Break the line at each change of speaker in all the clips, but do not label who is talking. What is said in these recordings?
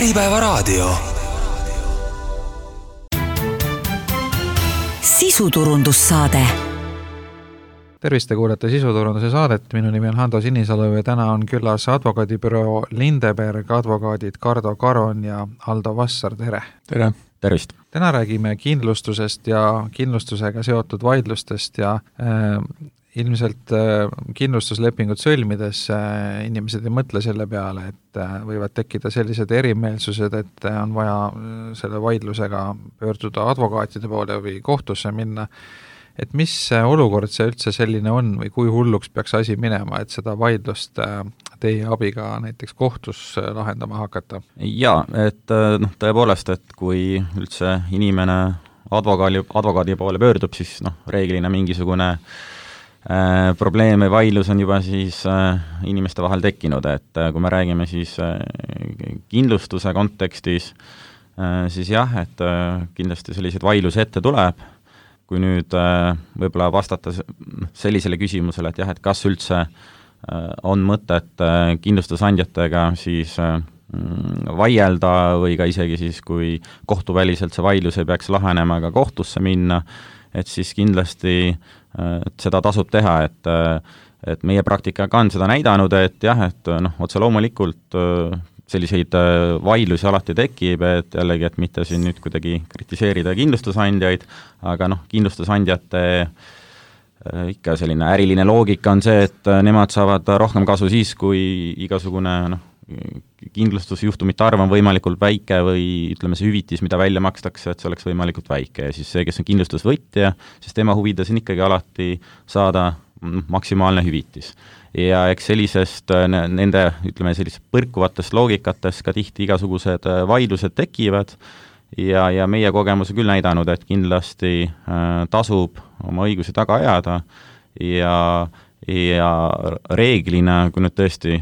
Äripäevaraadio.
Sisuturundussaade.
Tervist, te kuulete Sisuturunduse saadet. Minu nimi on Hando Sinisalu ja täna on küllas advokaadibüroo Lindeberg advokaadid Kardo Karon ja Aldo Vassar. Tere!
Tere! Tervist!
Täna räägime kindlustusest ja kindlustusega seotud vaidlustest ja ilmselt kindlustuslepingut sõlmides inimesed ei mõtle selle peale, et võivad tekkida sellised erimeelsused, et on vaja selle vaidlusega pöörduda advokaatide poole või kohtusse minna. Et mis olukord see üldse selline on või kui hulluks peaks asi minema, et seda vaidlust teie abiga näiteks kohtus lahendama hakata?
Jaa, et tõepoolest, et kui üldse inimene advokaadi poole pöördub, siis reeglina mingisugune probleem või vaidlus on juba siis inimeste vahel tekkinud, et kui me räägime siis kindlustuse kontekstis, siis jah, et kindlasti selliseid vaidlusi ette tuleb. Kui nüüd võib-olla vastata sellisele küsimusele, et jah, et kas üldse on mõtet kindlustusandjatega siis vaielda või ka isegi siis, kui kohtuväliselt see vaidlus ei peaks lahenema ka kohtusse minna, et siis kindlasti seda tasub teha, et meie praktikaga on seda näidanud, et jah, et otse loomulikult selliseid vaidlusi alati tekib, et jällegi, et mitte siin nüüd kuidagi kritiseerida kindlustusandjaid, aga kindlustusandjate ikka selline äriline loogika on see, et nemad saavad rohkem kasu siis, kui igasugune kindlustusjuhtumite arv on võimalikult väike või ütleme see hüvitis, mida välja makstakse, et see oleks võimalikult väike ja siis see, kes on kindlustusvõtja, siis tema huvides on ikkagi alati saada maksimaalne hüvitis. Ja eks sellisest nende, ütleme sellisest põrkuvatest loogikatest ka tihti igasugused vaidlused tekivad ja meie kogemus on küll näidanud, et kindlasti tasub oma õigusi taga ajada ja reeglina, kui nüüd tõesti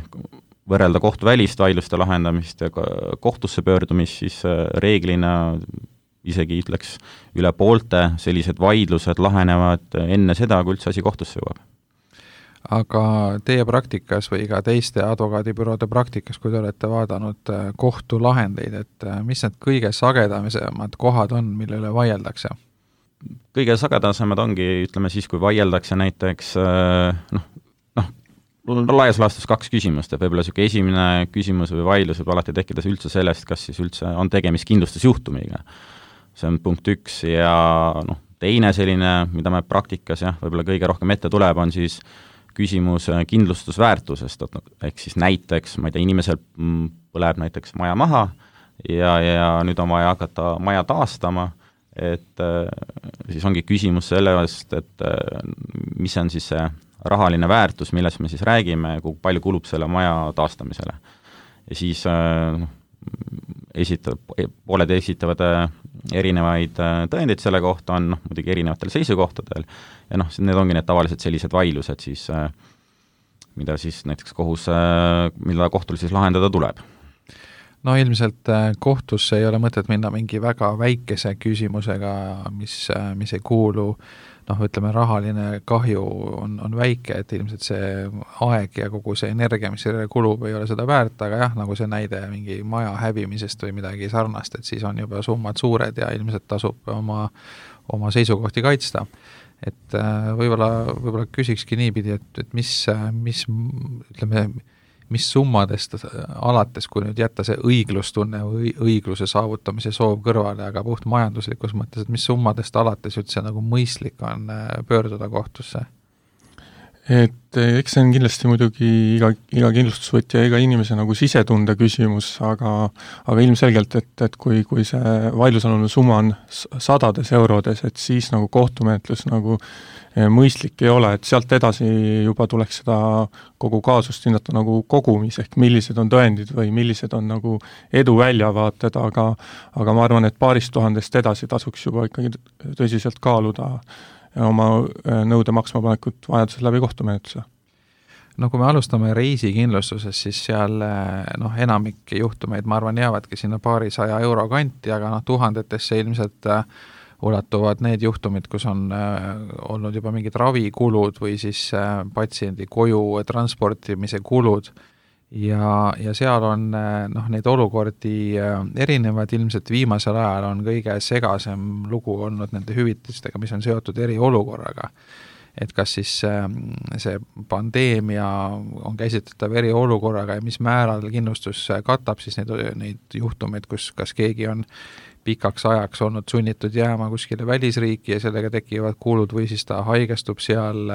võrrelda kohtuvälist vaidluste lahendamist ja kohtusse pöördumist, siis reeglina isegi ütleks üle poolte sellised vaidlused lahenevad enne seda, kui üldse asi kohtusse jõuab.
Aga teie praktikas või ka teiste advokaadibüroode praktikas, kui te olete vaadanud kohtulahendeid, et mis need kõige sagedamisemad kohad on, mille üle vaieldakse?
Kõige sagedasemad ongi, ütleme siis, kui vaieldakse näiteks laias laastus 2 küsimust, et võib-olla selline esimene küsimus või vaidlus võib alati tekkida üldse sellest, kas siis üldse on tegemist kindlustusjuhtumiga. See on punkt 1 ja teine selline, mida me praktikas võib-olla kõige rohkem ette tuleb, on siis küsimus kindlustusväärtusest, ehk siis näiteks, ma ei tea, inimesel põleb näiteks maja maha ja nüüd on vaja hakata maja taastama, et siis ongi küsimus sellest, et mis on siis see rahaline väärtus, millest me siis räägime, kui palju kulub selle maja taastamisele. Ja siis pooled esitavad erinevaid tõendeid selle kohta, on muidugi erinevatel seisukohtadel ja need ongi need tavaliselt sellised vaidlused siis, mida siis näiteks mida kohtul siis lahendada tuleb.
Ilmselt kohtusse ei ole mõtet minna mingi väga väikese küsimusega, mis ei kuulu, ütleme, rahaline kahju on väike, et ilmselt see aeg ja kogu see energia, mis selle kulub, ei ole seda väärt, aga jah, nagu see näide mingi maja hävimisest või midagi sarnast, et siis on juba summad suured ja ilmselt tasub oma seisukohti kaitsta. Et võib-olla küsikski niipidi, et mis summadest alates, kui nüüd jätta see õiglustunne või õigluse saavutamise soov kõrvale, aga puht majanduslikus mõttes, et mis summadest alates üldse nagu mõistlik on pöörduda kohtusse?
Et eks see on kindlasti muidugi iga kindlustusvõtja, iga inimese nagu sisetunde küsimus, aga ilmselgelt, et kui see vaidlusalune summa on sadades eurodes, et siis nagu kohtumenetlus nagu mõistlik ei ole, et sealt edasi juba tuleks seda kogu kaasust hinnata nagu kogumis, ehk millised on tõendid või millised on nagu edu väljavaated, aga ma arvan, et 200 000 edasi tasuks juba ikkagi tõsiselt kaaluda oma nõude maksmapanekut vajadusel läbi kohtumenetluse.
Kui me alustame reisikindlustuses, siis seal enamik juhtumeid, ma arvan, jäävadki sinna 200 euro kanti, aga tuhandetesse ilmselt ulatuvad need juhtumid, kus on olnud juba mingid ravikulud või siis patsiendi koju transportimise kulud ja seal on neid olukordi erinevad, ilmselt viimasel ajal on kõige segasem lugu olnud nende hüvitistega, mis on seotud eriolukorraga. Et kas siis see pandeemia on käsitletav eriolukorraga ja mis määral kindlustus katab siis neid juhtumeid, kus kas keegi on pikaks ajaks olnud sunnitud jääma kuskile välisriiki ja sellega tekivad kulud või siis ta haigestub seal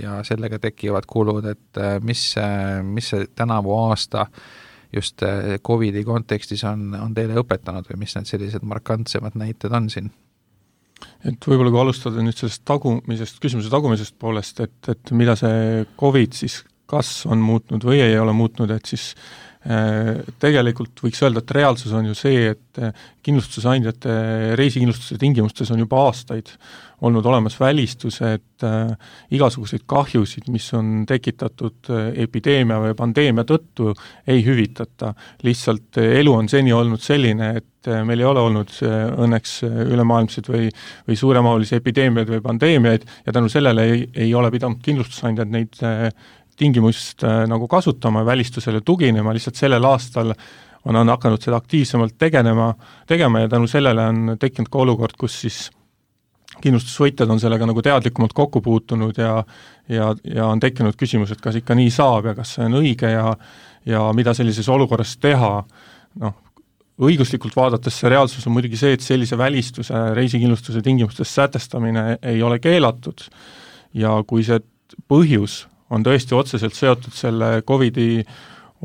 ja sellega tekivad kulud, et mis see tänavu aasta just Covidi kontekstis on teile õpetanud või mis need sellised markantsemad näited on siin?
Et võib-olla kui alustada nüüd sellest küsimuse tagumisest poolest, et mida see Covid siis kas on muutnud või ei ole muutnud, et siis tegelikult võiks öelda, et reaalsus on ju see, et kindlustusandjate reisikindlustuse tingimustes on juba aastaid olnud olemas välistused igasuguseid kahjusid, mis on tekitatud epideemia või pandeemia tõttu, ei hüvitata. Lihtsalt elu on seni olnud selline, et meil ei ole olnud õnneks ülemaailmseid või suuremahulisi epideemiaid või pandeemiaid ja tänu sellele ei ole pidanud kindlustusandjad neid tingimust nagu kasutama, välistusele tuginema, lihtsalt sellel aastal on hakanud seda aktiivsemalt tegema ja tänu sellele on tekkinud ka olukord, kus siis kindlustusvõitjad on sellega nagu teadlikumalt kokku puutunud ja on tekkinud küsimus, et kas ikka nii saab ja kas see on õige ja mida sellises olukorras teha. Õiguslikult vaadates see reaalsus on muidugi see, et sellise välistuse reisikindlustuse tingimustes sätestamine ei ole keelatud ja kui see põhjus on tõesti otseselt seotud selle Covidi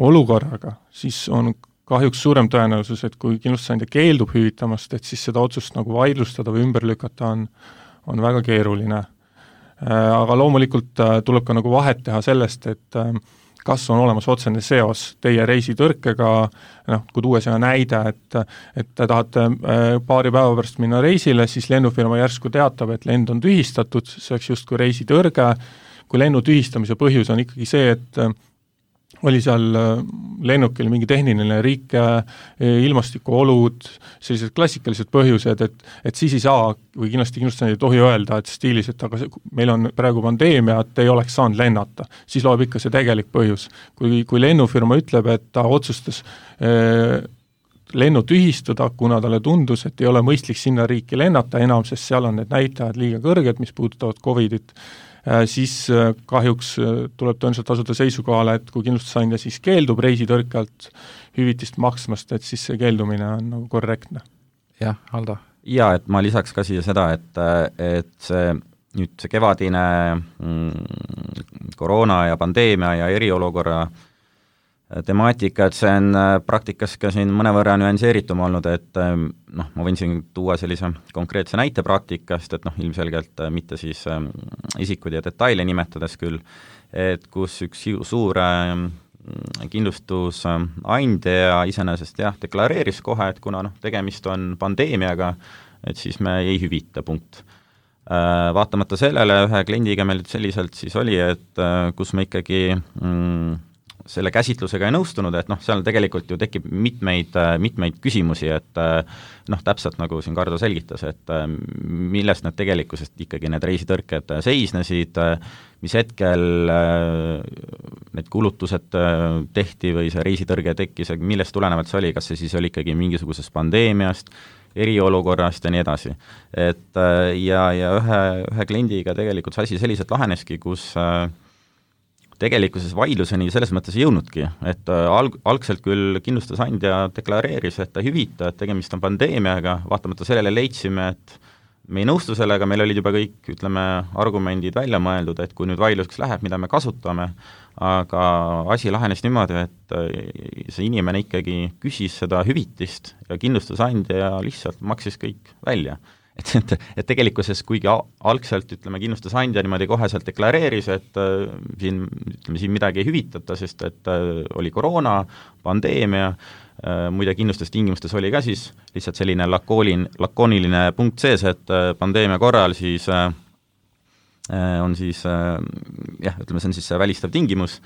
olukorraga, siis on kahjuks suurem tõenäosus, et kui kindlustusandja keeldub hüvitamast, et siis seda otsust nagu vaidlustada või ümber lükata on väga keeruline. Aga loomulikult tuleb ka nagu vahet teha sellest, et kas on olemas otsene seos teie reisitõrkega, kui tuua see näide, et te tahate paari päeva pärast minna reisile, siis lennufirma järsku teatab, et lend on tühistatud, see oleks justkui reisitõrge, kui lennu tühistamise põhjus on ikkagi see, et oli seal lennukil mingi tehniline rike, ilmastikuolud, sellised klassikalised põhjused, et siis ei saa või kindlasti ei tohi öelda, et stiilis, et aga meil on praegu pandeemia, et ei oleks saanud lennata. Siis loeb ikka see tegelik põhjus. Kui lennufirma ütleb, et ta otsustas lennu tühistada, kuna talle tundus, et ei ole mõistlik sinna riiki lennata enam, sest seal on need näitajad liiga kõrged, mis puudutavad Covidit, siis kahjuks tuleb tõenäoliselt asuda seisukohale, et kui kindlustusandja siis keeldub reisitõrkalt hüvitist maksmast, et siis see keeldumine on nagu korrektne.
Jah, Aldo?
Jaa, et ma lisaks ka siia seda, et see kevadine koroona ja pandeemia ja eriolukorra temaatika, et see on praktikas ka siin mõnevõrra nüanseeritum olnud, et ma võin siin tuua sellise konkreetse näite praktikast, et ilmselgelt mitte siis isikud ja detaile nimetades küll, et kus üks suur kindlustusandja iseenesest deklareeris kohe, et kuna tegemist on pandeemiaga, et siis me ei hüvita, punkt. Vaatamata sellele ühe kliendiga meil selliselt siis oli, et kus me ikkagi selle käsitlusega ei nõustunud, et seal tegelikult ju tekib mitmeid küsimusi, et täpselt nagu siin Kardo selgitas, et millest need tegelikkusest ikkagi need reisitõrked seisnesid, mis hetkel need kulutused tehti või see reisitõrge tekkis, millest tulenevalt see oli, kas see siis oli ikkagi mingisugusest pandeemiast, eriolukorrast ja nii edasi. Et ja ühe kliendiga tegelikult see asi selliselt laheneski, kus tegelikkuses vaidluseni selles mõttes ei jõudnudki, et algselt küll kindlustusandja deklareeris, et ta hüvita, et tegemist on pandeemiaga, vaatamata sellele leidsime, et me ei nõustu sellega, meil olid juba kõik, argumendid välja mõeldud, et kui nüüd vaidluseks läheb, mida me kasutame, aga asi lahenes niimoodi, et see inimene ikkagi küsis seda hüvitist ja kindlustusandja lihtsalt maksis kõik välja. Et tegelikkuses, kuigi algselt, kindlustusandja niimoodi koheselt deklareeris, et siin midagi ei hüvitata, sest et oli koroona, pandeemia, muide kindlustustingimustes oli ka siis lihtsalt selline lakooniline punkt sees, et pandeemia korral siis on siis, see on siis välistav tingimus,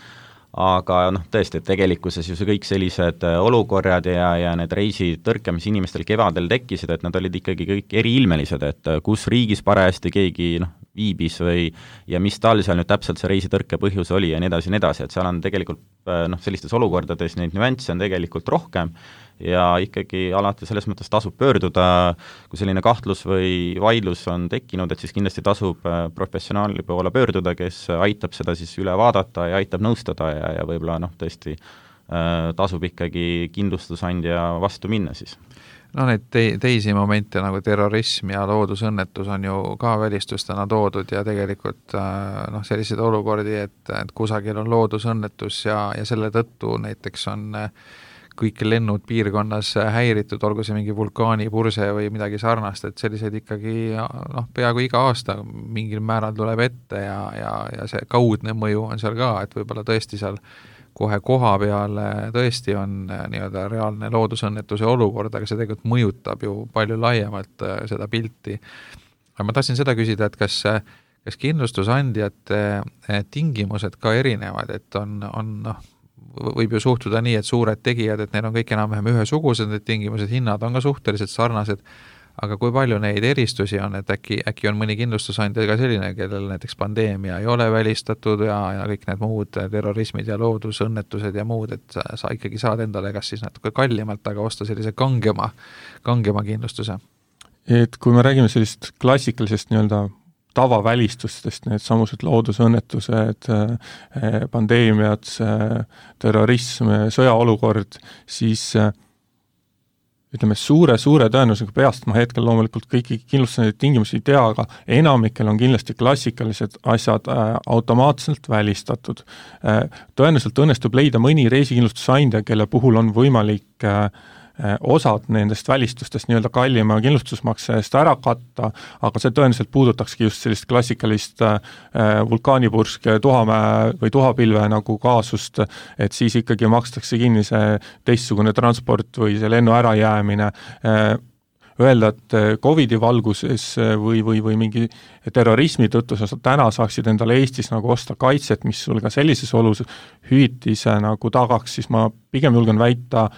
aga tõesti, et tegelikkuses ju see kõik sellised olukorrad ja need reisitõrke, mis inimestel kevadel tekkisid, et nad olid ikkagi kõik eriilmelised, et kus riigis parajasti keegi viibis ja mis tal seal nüüd täpselt see reisitõrke põhjus oli ja nii edasi, et seal on tegelikult sellistes olukordades neid nüansse on tegelikult rohkem ja ikkagi alati selles mõttes tasub pöörduda, kui selline kahtlus või vaidlus on tekkinud, et siis kindlasti tasub professionaali poole pöörduda, kes aitab seda siis üle vaadata ja aitab nõustada ja võib-olla tõesti tasub ikkagi kindlustusandja vastu minna siis.
Neid teisi momente nagu terrorism ja loodusõnnetus on ju ka välistustena toodud ja tegelikult selliseid olukordi, et kusagil on loodusõnnetus ja selle tõttu näiteks on kõik lennud piirkonnas häiritud, olgu see mingi vulkaanipurse või midagi sarnast, et selliseid ikkagi peaaegu iga aasta mingil määral tuleb ette ja see kaudne mõju on seal ka, et võib-olla tõesti seal kohe koha peal tõesti on nii-öelda reaalne loodusõnnetuse olukord, aga see tegelikult mõjutab ju palju laiemalt seda pilti. Aga ma tahtsin seda küsida, et kas kindlustusandjate tingimused ka erinevad, et võib ju suhtuda nii, et suured tegijad, et neil on kõik enam-vähem ühesugused, need tingimused, hinnad on ka suhteliselt sarnased, aga kui palju neid eristusi on, et äkki on mõni kindlustusandja ka selline, kellel näiteks pandeemia ei ole välistatud ja kõik need muud terrorismid ja loodusõnnetused ja muud, et sa ikkagi saad endale kas siis natuke kallimalt, aga osta sellise kangema kindlustuse?
Et kui me räägime sellist klassikalisest nii-öelda tavavälistustest, need samused loodusõnnetused, pandeemiad, terrorism, sõjaolukord, siis ütleme, suure tõenäosusega peast ma hetkel loomulikult kõiki kindlustajaid tingimusi ei tea, aga enamikel on kindlasti klassikalised asjad automaatselt välistatud. Tõenäoliselt õnnestub leida mõni reisikindlustusandja, kelle puhul on võimalik osad nendest välistustest nii-öelda kallima kindlustusmakse eest ära katta, aga see tõenäoliselt puudutakski just sellist klassikalist vulkaanipursk, tuhamäe või tuhapilve nagu kaasust, et siis ikkagi makstakse kinni see teistsugune transport või see lennu ärajäämine. Öelda, et Covidi valguses või mingi terrorismi tõttu sa täna saaksid endale Eestis nagu osta kaitset, mis sul ka sellises olus hüvitise nagu tagaks, siis ma pigem julgen väita,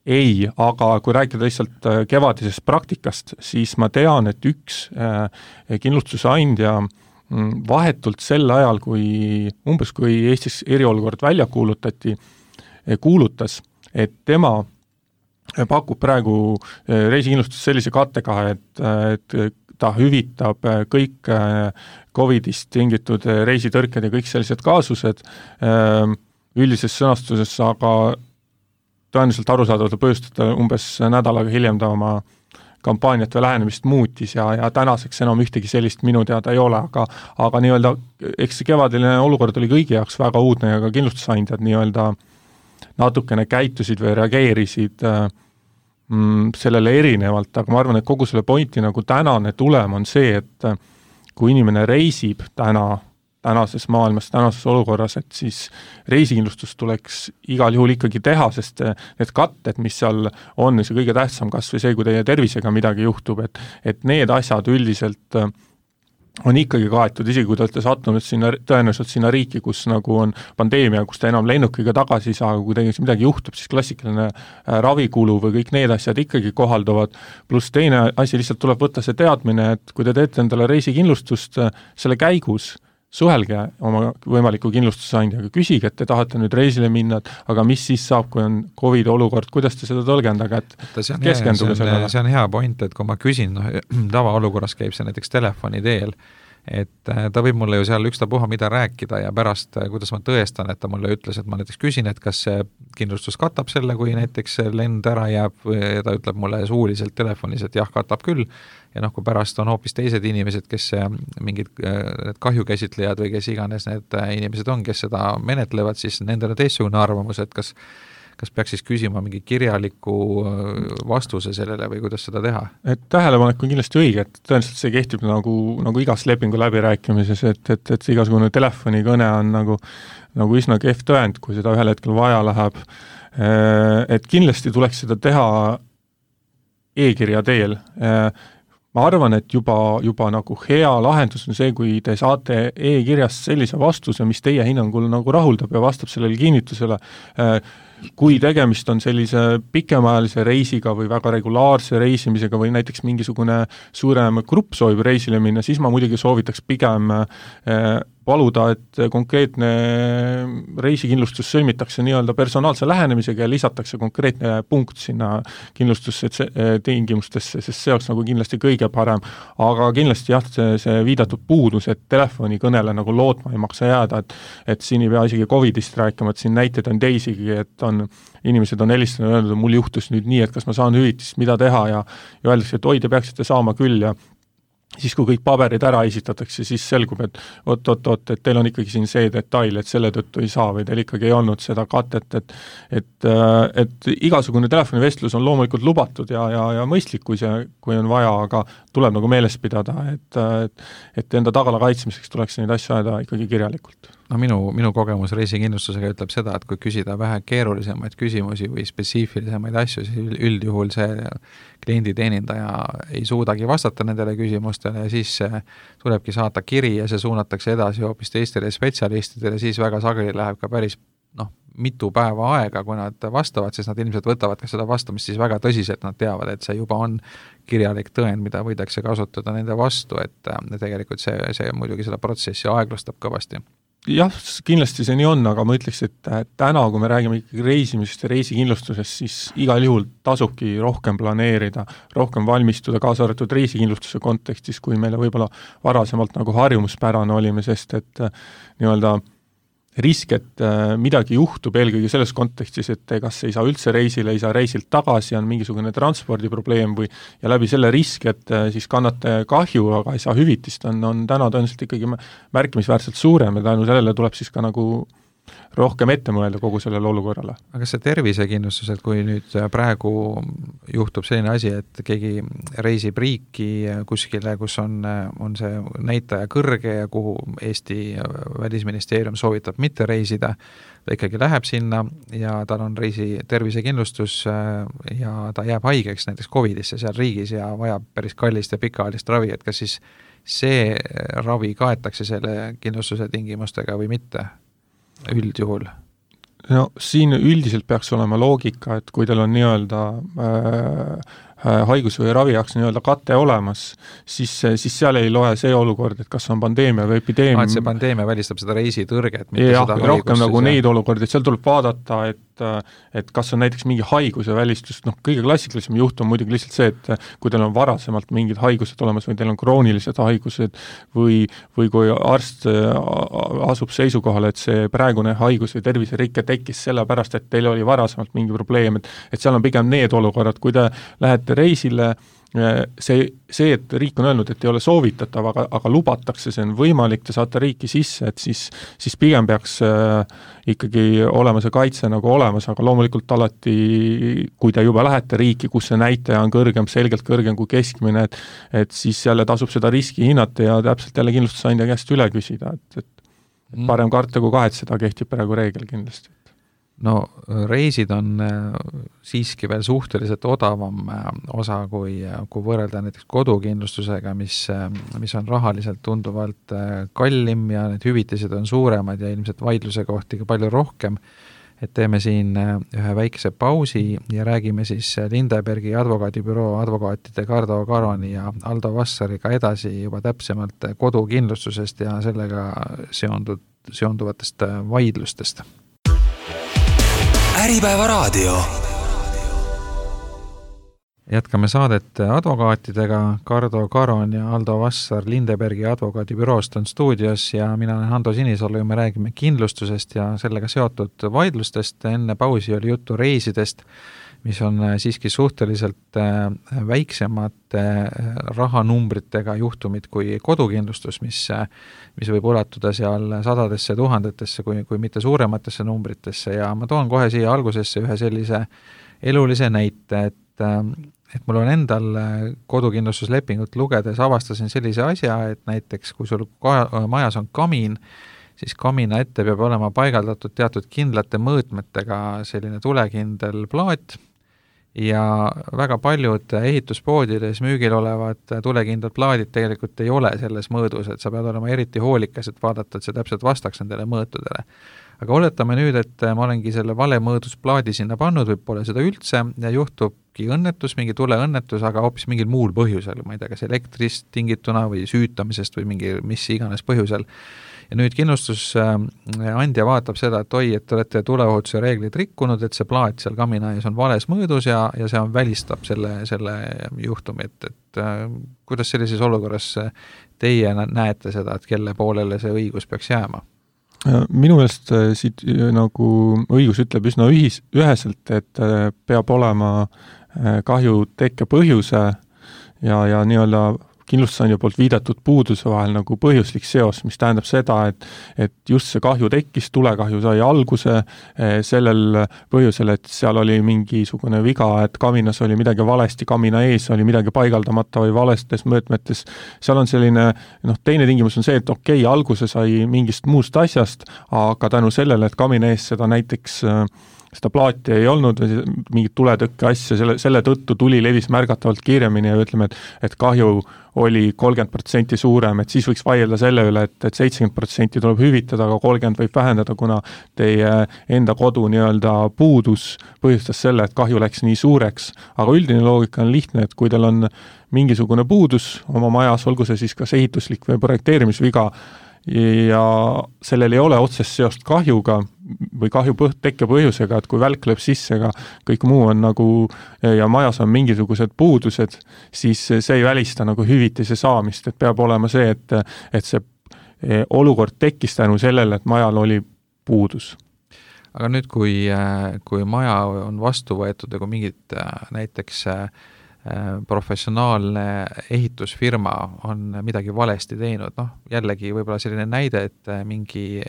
ei, aga kui rääkida lihtsalt kevadisest praktikast, siis ma tean, et üks kindlustusandja vahetult sel ajal, kui Eestis eriolukord välja kuulutas, et tema pakub praegu reisikindlustust sellise kattega, et ta hüvitab kõik Covidist tingitud reisitõrked ja kõik sellised kaasused üldises sõnastuses, aga tõenäoliselt arusaadavalt põhjustada umbes nädalaga hiljem ta oma kampaaniat või lähenemist muutis ja tänaseks enam ühtegi sellist minu teada ei ole, aga nii-öelda, eks see kevadiline olukord oli kõigi jaoks väga uudne ja ka kindlustusandjad nii-öelda natukene käitusid või reageerisid sellele erinevalt, aga ma arvan, et kogu selle pointi nagu tänane tulem on see, et kui inimene reisib tänases maailmas, tänases olukorras, et siis reisikindlustus tuleks igal juhul ikkagi teha, sest need katted, mis seal on, see kõige tähtsam kas või see, kui teie tervisega midagi juhtub, et need asjad üldiselt on ikkagi kaetud, isegi kui te olete sattunud tõenäoliselt sinna riiki, kus nagu on pandeemia, kus te enam lennukiga tagasi ei saa, kui teil midagi juhtub, siis klassikaline ravikulu või kõik need asjad ikkagi kohalduvad, pluss teine asi lihtsalt tuleb võtta see teadmine, et kui te teete endale reisikindlustust selle käigus, suhelge oma võimaliku kindlustusandjaga, küsige, et te tahate nüüd reisile minna, aga mis siis saab, kui on COVID olukord, kuidas te seda tõlgendage, et keskenduge sellele.
See on hea point, et kui ma küsin, tavaolukorras käib see näiteks telefoni teel, et ta võib mulle ju seal ükstapuha mida rääkida ja pärast, kuidas ma tõestan, et ta mulle ütles, et ma näiteks küsin, et kas see kindlustus katab selle, kui näiteks lend ära jääb ja ta ütleb mulle suuliselt telefonis, et jah, katab küll, ja kui pärast on hoopis teised inimesed, kes mingid kahjukäsitlejad või kes iganes need inimesed on, kes seda menetlevad, siis nendel on teistsugune arvamus, et kas peaks siis küsima mingi kirjaliku vastuse sellele või kuidas seda teha?
Et tähelepanek on kindlasti õige, et tõenäoliselt see kehtib nagu igas lepingu läbirääkimises, et igasugune telefonikõne on nagu üsna kehv tõend, kui seda ühel hetkel vaja läheb. Et kindlasti tuleks seda teha e-kirja teel. Ma arvan, et juba nagu hea lahendus on see, kui te saate e-kirjast sellise vastuse, mis teie hinnangul nagu rahuldab ja vastab sellele kinnitusele. kui tegemist on sellise pikemaajalise reisiga või väga regulaarse reisimisega või näiteks mingisugune suurem grupp soovib reisile minna, siis ma muidugi soovitaks pigem paluda, et konkreetne reisikindlustus sõlmitakse nii-öelda personaalse lähenemisega ja lisatakse konkreetne punkt sinna kindlustusse tingimustesse, sest see oleks nagu kindlasti kõige parem. Aga kindlasti jah, see viidatud puudus, et telefonikõnele nagu lootma ei maksa jääda, et siin ei pea isegi Covidist rääkima, et siin näiteid on teisigi, et inimesed on helistanud ja öelnud, et mul juhtus nüüd nii, et kas ma saan hüvitist, mida teha ja öeldakse, et oi, te peaksite saama küll ja siis kui kõik paberid ära esitatakse, siis selgub, et et teil on ikkagi siin see detail, et selle tõttu ei saa või teil ikkagi ei olnud seda katet, et igasugune telefonivestlus on loomulikult lubatud ja mõistlik, kui on vaja, aga tuleb nagu meeles pidada, et enda tagala kaitsmiseks tuleks neid asju ajada ikkagi kirjalikult.
No minu kogemus reisikindlustusega ütleb seda, et kui küsida vähe keerulisemaid küsimusi või spetsiifilisemaid asju, siis üldjuhul see klienditeenindaja ei suudagi vastata nendele küsimustele ja siis tulebki saata kiri ja see suunatakse edasi hoopis teistele spetsialistidele, siis väga sageli läheb ka päris mitu päeva aega, kui nad vastavad, siis nad ilmselt võtavad ka seda vastamist siis väga tõsiselt, nad teavad, et see juba on kirjalik tõend, mida võidakse kasutada nende vastu, et tegelikult see muidugi seda protsessi aeglustab kõvasti.
Jah, kindlasti see nii on, aga ma ütleks, et täna, kui me räägime ikkagi reisimisest ja reisikindlustusest, siis igal juhul tasubki rohkem planeerida, rohkem valmistuda, kaasa arvatud reisikindlustuse kontekstis, kui meile võib-olla varasemalt nagu harjumuspärane olime, sest et nii-öelda risk, et midagi juhtub eelkõige selles kontekstis, et kas ei saa üldse reisile, ei saa reisilt tagasi, on mingisugune transpordiprobleem või ja läbi selle risk, et siis kannate kahju, aga ei saa hüvitist, on täna tõenäoliselt ikkagi märkimisväärselt suurem ja tänu sellele tuleb siis ka nagu rohkem ette mõelda kogu sellele olukorrale.
Aga see tervisekindlustus, et kui nüüd praegu juhtub selline asi, et keegi reisib riiki kuskile, kus on see näitaja kõrge ja kuhu Eesti välisministeerium soovitab mitte reisida, ta ikkagi läheb sinna ja tal on reisi tervisekindlustus ja ta jääb haigeks näiteks Covidisse seal riigis ja vajab päris kallist ja pikaajalist ravi, et kas siis see ravi kaetakse selle kindlustuse tingimustega või mitte? Üldjuhul?
No siin üldiselt peaks olema loogika, et kui teil on nii-öelda haigus või ravi jaoks nii-öelda kate olemas, siis seal ei loe see olukord, et kas on pandeemia või epideemia.
Et see pandeemia välistab seda reisitõrget,
mitte seda haigust. Rohkem nagu neid olukordi, et seal tuleb vaadata, et kas on näiteks mingi haiguse välistus, kõige klassikalisem juhtum muidugi lihtsalt see, et kui teil on varasemalt mingid haigused olemas või teil on kroonilised haigused või kui arst asub seisukohale, et see praegune haigus või terviserikke tekkis sellepärast, et teil oli varasemalt mingi probleem, et seal on pigem need olukorrad, kui te lähete reisile, see, et riik on öelnud, et ei ole soovitatav, aga lubatakse, see on võimalik, te saate riiki sisse, et siis pigem peaks ikkagi olema see kaitse nagu olemas, aga loomulikult alati, kui te juba lähete riiki, kus see näitaja on kõrgem, selgelt kõrgem kui keskmine, et siis jälle tasub seda riski hinnata ja täpselt jälle kindlustusandja käest üle küsida, et parem karta kui kahetseda kehtib praegu reegel kindlasti.
No reisid on siiski veel suhteliselt odavam osa, kui võrrelda näiteks kodukindlustusega, mis on rahaliselt tunduvalt kallim ja need hüvitised on suuremad ja ilmselt vaidluse kohti ka palju rohkem. Et teeme siin ühe väikese pausi ja räägime siis Lindebergi advokaadibüroo advokaatide Kardo Karoni ja Aldo Vassariga edasi juba täpsemalt kodukindlustusest ja sellega seonduvatest vaidlustest.
Äripäeva raadio.
Jätkame saadet advokaatidega. Kardo Karon ja Aldo Vassar Lindebergi advokaadibüroost on stuudios ja mina olen Hando Sinisalu ja me räägime kindlustusest ja sellega seotud vaidlustest. Enne pausi oli juttu reisidest, mis on siiski suhteliselt väiksemate rahanumbritega juhtumid kui kodukindlustus, mis võib ulatuda seal sadadesse tuhandetesse kui mitte suurematesse numbritesse ja ma toon kohe siia algusesse ühe sellise elulise näite, et mul on endal kodukindlustuslepingut lugedes avastasin sellise asja, et näiteks kui sul majas on kamin, siis kamina ette peab olema paigaldatud teatud kindlate mõõtmetega selline tulekindel plaat ja väga paljud ehituspoodides müügil olevad tulekindlad plaadid tegelikult ei ole selles mõõdus, et sa pead olema eriti hoolikas, et vaadata, et see täpselt vastaks nendele mõõtudele. aga oletame nüüd, et ma olengi selle vale mõõdusplaadi sinna pannud või pole seda üldse ja juhtubki õnnetus, mingi tuleõnnetus, aga hoopis mingil muul põhjusel, ma ei tea, kas elektrist tingituna või süütamisest või mingi mis iganes põhjusel. Ja nüüd kindlustusandja vaatab seda, et oi, et te olete tuleohutuse reeglid rikkunud, et see plaat seal kamina ees on vales mõõdus ja see on välistab selle juhtumi, et kuidas sellises olukorras teie näete seda, et kelle poolele see õigus peaks jääma?
Minu meelest siit nagu õigus ütleb üsna üheselt, et peab olema kahju tekke põhjuse ja nii-öelda kindlustusandja poolt viidatud puuduse vahel nagu põhjuslik seos, mis tähendab seda, et just see kahju tekkis, tulekahju sai alguse sellel põhjusel, et seal oli mingisugune viga, et kaminas oli midagi valesti, kamina ees oli midagi paigaldamata või valestes mõõtmetes. Seal on selline, teine tingimus on see, et okei, alguse sai mingist muust asjast, aga tänu sellele, et kamina ees seda näiteks seda plaati ei olnud või mingit tuletõkke asja, selle tõttu tuli levis märgatavalt kiiremini ja ütleme, et kahju oli 30% suurem, et siis võiks vaielda selle üle, et 70% tuleb hüvitada, aga 30% võib vähendada, kuna teie enda kodu nii-öelda puudus põhjustas selle, et kahju läks nii suureks. Aga üldine loogika on lihtne, et kui teil on mingisugune puudus oma majas, olgu see siis kas ehituslik või projekteerimisviga, ja sellel ei ole otsest seost kahjuga või kahju tekke põhjusega, et kui välk lööb sisse, aga kõik muu on nagu ja majas on mingisugused puudused, siis see ei välista nagu hüvitise saamist, et peab olema see, et see olukord tekkis tänu sellele, et majal oli puudus.
Aga nüüd, kui maja on vastu võetud ja kui mingid näiteks professionaalne ehitusfirma on midagi valesti teinud, jällegi võib-olla selline näide, et mingi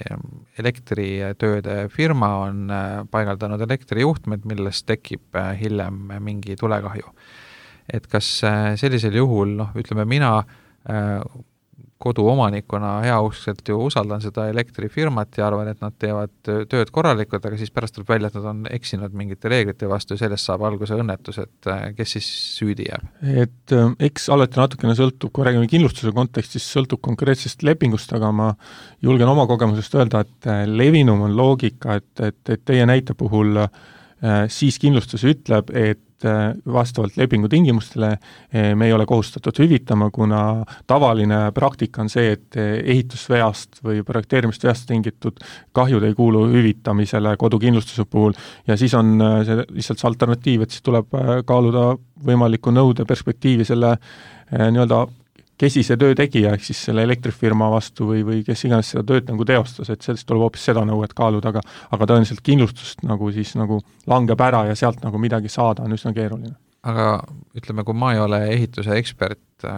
elektritööde firma on paigaldanud elektrijuhtmed, millest tekib hiljem mingi tulekahju. Et kas sellisel juhul, ütleme mina koduomanikuna heauskselt ju usaldan seda elektrifirmat ja arvan, et nad teevad tööd korralikult, aga siis pärast tuleb välja, et nad on eksinud mingite reeglite vastu ja sellest saab alguse õnnetus, et kes siis süüdi jääb?
Et eks alati natukene sõltub, kui räägime kindlustuse kontekstis, sõltub konkreetsest lepingust, aga ma julgen oma kogemusest öelda, et levinum on loogika, et teie näite puhul siis kindlustus ütleb, et vastavalt lepingu tingimustele me ei ole kohustatud hüvitama, kuna tavaline praktika on see, et ehitusveast või projekteerimist veast tingitud kahjud ei kuulu hüvitamisele kodukindlustuse puhul ja siis on see lihtsalt see alternatiiv, et siis tuleb kaaluda võimaliku nõude perspektiivi selle nii-öelda kesise töö tegija, ehk siis selle elektrifirma vastu või kes iganes seda tööd nagu teostas, et sellest tuleb hoopis seda nõuet kaaluda, aga tõenäoliselt kindlustust nagu siis nagu langeb ära ja sealt nagu midagi saada on üsna keeruline.
Aga ütleme, kui ma ei ole ehituse ekspert,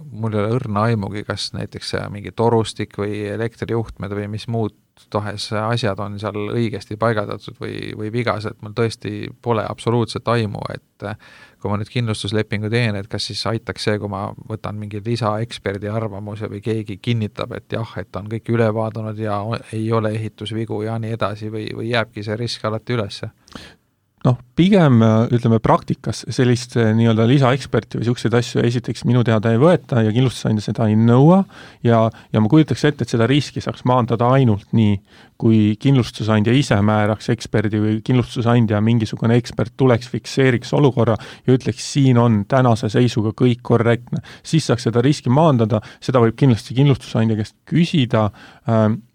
mul ei ole õrna aimugi, kas näiteks mingi torustik või elektrijuhtmed või mis muud tahes asjad on seal õigesti paigaldatud või vigased, mul tõesti pole absoluutselt aimu, et kui ma nüüd kindlustuslepingu teen, et kas siis aitaks see, kui ma võtan mingi lisaeksperdi arvamuse või keegi kinnitab, et jah, et on kõik üle vaadanud ja ei ole ehitusvigu ja nii edasi või jääbki see risk alati ülesse?
Pigem ütleme praktikas sellist nii-öelda lisaeksperti või selliseid asju esiteks minu teada ei võeta ja kindlustusandja seda ei nõua ja ma kujutaks ette, et seda riski saaks maandada ainult nii, kui kindlustusandja ise määraks eksperdi või kindlustusandja mingisugune ekspert tuleks, fikseeriks olukorra ja ütleks, siin on tänase seisuga kõik korrektne. Siis saaks seda riski maandada, seda võib kindlasti kindlustusandja käest küsida,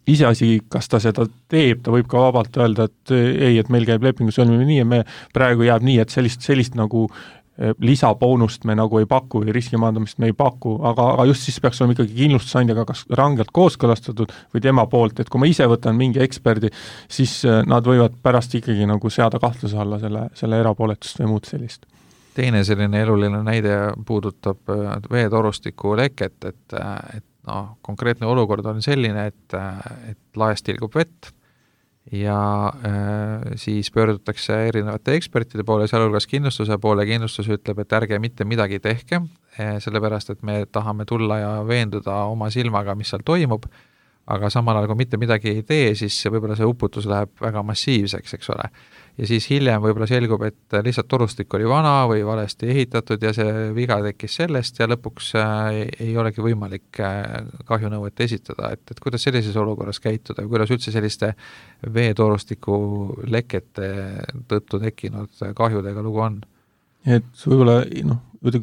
iseasi, kas ta seda teeb, ta võib ka vabalt öelda, et ei, et meil käib lepingu sõlmimine nii, et me praegu jääb nii, et sellist nagu lisaboonust me nagu ei paku või riskimaandamist me ei paku, aga just siis peaks olema ikkagi kindlustusandjaga kas rangelt kooskõlastatud või tema poolt, et kui ma ise võtan mingi eksperdi, siis nad võivad pärast ikkagi nagu seada kahtluse alla selle erapooletust või muud sellist.
Teine selline eluline näide puudutab veetorustiku leket, et konkreetne olukord on selline, et laest tilgub vett ja siis pöördutakse erinevate ekspertide poole, sealhulgas kindlustuse poole, kindlustus ütleb, et ärge mitte midagi tehke, sellepärast, et me tahame tulla ja veenduda oma silmaga, mis seal toimub, aga samal ajal, kui mitte midagi ei tee, siis võib-olla see uputus läheb väga massiivseks, eks ole. ja siis hiljem võib-olla selgub, et lihtsalt torustik oli vana või valesti ehitatud ja see viga tekkis sellest ja lõpuks ei olegi võimalik kahjunõuet esitada, et kuidas sellises olukorras käituda ja kuidas üldse selliste veetorustiku lekete tõttu tekkinud kahjudega lugu on?
Et võib-olla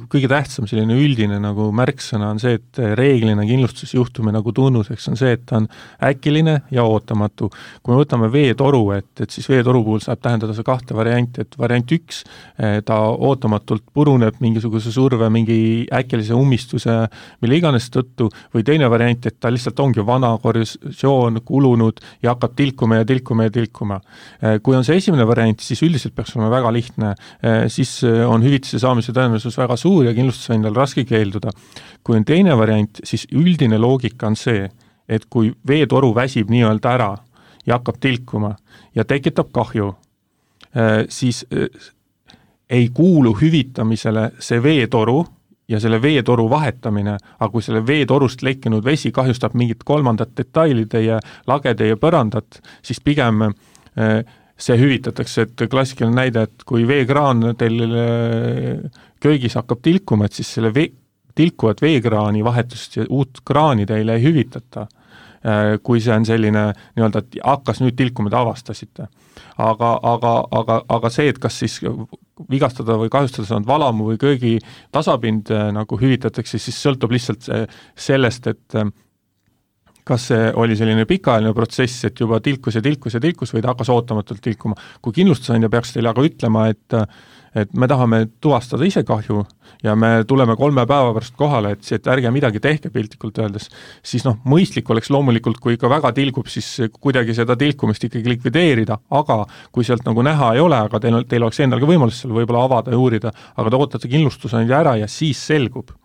kõige tähtsam selline üldine nagu märksõna on see, et reeglina kindlustusjuhtumi nagu tunnuseks on see, et ta on äkiline ja ootamatu. Kui me võtame veetoru, et siis veetoru puhul saab tähendada see kahte varianti, et variant 1, ta ootamatult puruneb mingisuguse surve, mingi äkilise ummistuse, mille iganes tõttu, või teine variant, et ta lihtsalt ongi vana korrosioon kulunud ja hakkab tilkuma ja tilkuma ja tilkuma. Kui on see esimene variant, siis üldiselt peaks olema väga lihtne, siis on hüvitise saamise tõenäosus väga suur ja kindlustusandjal raske keelduda. Kui on teine variant, siis üldine loogika on see, et kui veetoru väsib nii-öelda ära ja hakkab tilkuma ja tekitab kahju, siis ei kuulu hüvitamisele see veetoru ja selle veetoru vahetamine, aga kui selle veetorust lekkinud vesi kahjustab mingit kolmandat detaili teie lagede ja põrandat, siis pigem see hüvitatakse, et klassikaline näide, et kui veekraan teil köögis hakkab tilkuma, et siis selle tilkuvat veekraani vahetust ja uut kraani teile ei hüvitata, kui see on selline nii-öelda, et hakkas nüüd tilkuma, te avastasite. Aga see, et kas siis vigastada või kahjustada saanud valamu või köögi tasapind nagu hüvitatakse, siis sõltub lihtsalt sellest, et kas see oli selline pikaajaline protsess, et juba tilkus või ta hakkas ootamatult tilkuma. Kui kindlustusandja peaks teile aga ütlema, et me tahame tuvastada ise kahju ja me tuleme 3 päeva pärast kohale, et ärge midagi tehke piltlikult öeldes, siis mõistlik oleks loomulikult, kui ikka väga tilgub, siis kuidagi seda tilkumist ikkagi likvideerida, aga kui sealt nagu näha ei ole, aga teil oleks endal ka võimalus seal võib-olla avada ja uurida, aga te ootate kindlustusandja ära ja siis selgub,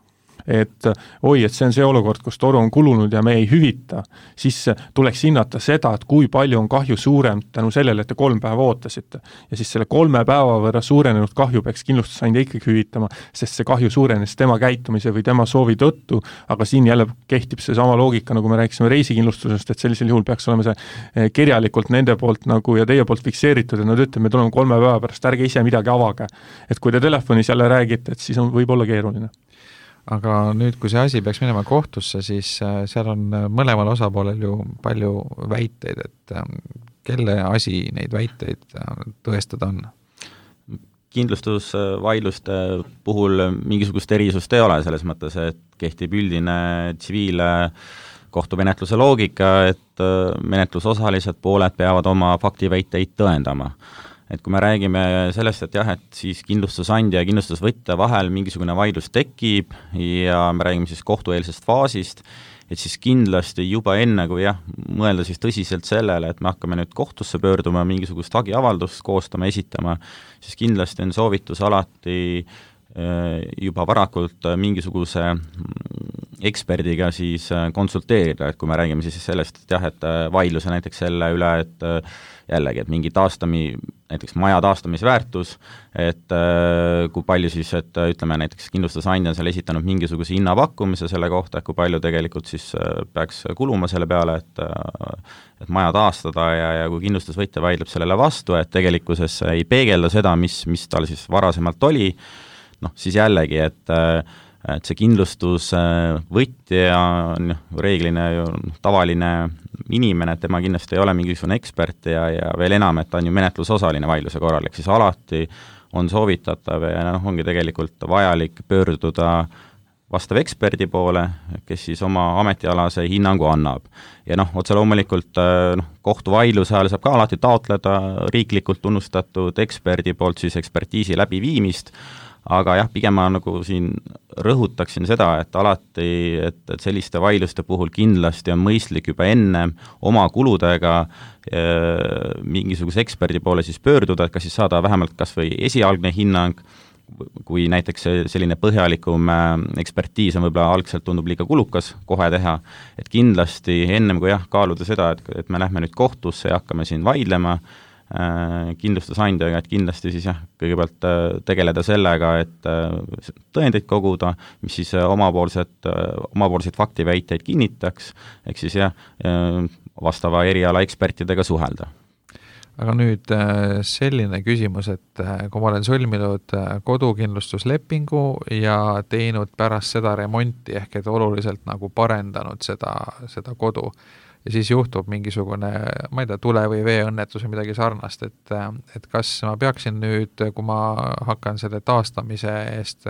et see on see olukord, kus toru on kulunud ja me ei hüvita, siis tuleks hinnata seda, et kui palju on kahju suurem tänu sellele, et te 3 päeva ootasite. Ja siis selle 3 päeva võrra suurenenud kahju peaks kindlustusandja ikkagi hüvitama, sest see kahju suurenes tema käitumise või tema soovi tõttu, aga siin jälle kehtib see sama loogika, nagu me rääkisime reisikindlustusest, et sellisel juhul peaks olema see kirjalikult nende poolt nagu ja teie poolt fikseeritud, et nad ütlevad, me tuleme 3 päeva pärast, ärge ise midagi avage. Et kui te telefonis jälle räägite, et siis võib olla keeruline.
Aga nüüd, kui see asi peaks minema kohtusse, siis seal on mõlemal osapoolel ju palju väiteid, et kelle asi neid väiteid tõestada on?
Kindlustusvaidluste puhul mingisugust erisust ei ole, selles mõttes, et kehtib üldine tsiviilkohtumenetluse loogika, et menetlusosalised pooled peavad oma faktiväiteid tõendama. Et kui me räägime sellest, et jah, et siis kindlustusandja ja kindlustusvõtja vahel mingisugune vaidlus tekib ja me räägime siis kohtueelsest faasist, et siis kindlasti juba enne, kui mõelda siis tõsiselt sellele, et me hakkame nüüd kohtusse pöörduma, mingisugust hagiavaldust koostama, esitama, siis kindlasti on soovitus alati juba varakult mingisuguse eksperdiga siis konsulteerida, et kui me räägime siis sellest, et jah, et vaidluse näiteks selle üle, et jällegi, et mingi näiteks maja taastamisväärtus, et kui palju siis, et ütleme näiteks kindlustusandja on seal esitanud mingisuguse hinnapakkumise selle kohta, et kui palju tegelikult siis peaks kuluma selle peale, et maja taastada ja kui kindlustusvõtja vaidleb sellele vastu, et tegelikkuses ei peegelda seda, mis tal siis varasemalt oli, siis jällegi, et see kindlustusvõtja on reeglina ju tavaline inimene, et tema kindlasti ei ole mingisugune ekspert ja veel enam, et ta on ju menetlusosaline vaidluse korral, ehk siis alati on soovitatav ja ongi tegelikult vajalik pöörduda vastav eksperdi poole, kes siis oma ametialase hinnangu annab. Ja otse loomulikult kohtuvaidluse ajal saab ka alati taotleda riiklikult tunnustatud eksperdi poolt siis ekspertiisi läbiviimist, aga jah, pigem ma nagu siin rõhutaksin seda, et alati, et selliste vaidluste puhul kindlasti on mõistlik juba enne oma kuludega mingisuguse eksperdi poole siis pöörduda, et kas siis saada vähemalt kas või esialgne hinnang, kui näiteks selline põhjalikum ekspertiis on võib-olla algselt tundub liiga kulukas kohe teha, et kindlasti ennem kui kaaluda seda, et me lähme nüüd kohtusse ja hakkame siin vaidlema kindlustusandjaga, et kindlasti siis kõigepealt tegeleda sellega, et tõendeid koguda, mis siis omapoolseid faktiväiteid kinnitaks, ehk siis vastava eriala ekspertidega suhelda.
aga nüüd selline küsimus, et kui ma olen sõlminud kodukindlustuslepingu ja teinud pärast seda remonti, ehk et oluliselt nagu parendanud seda kodu, ja siis juhtub mingisugune, ma ei tea, tule- või veeõnnetus või midagi sarnast, et kas ma peaksin nüüd, kui ma hakkan selle taastamise eest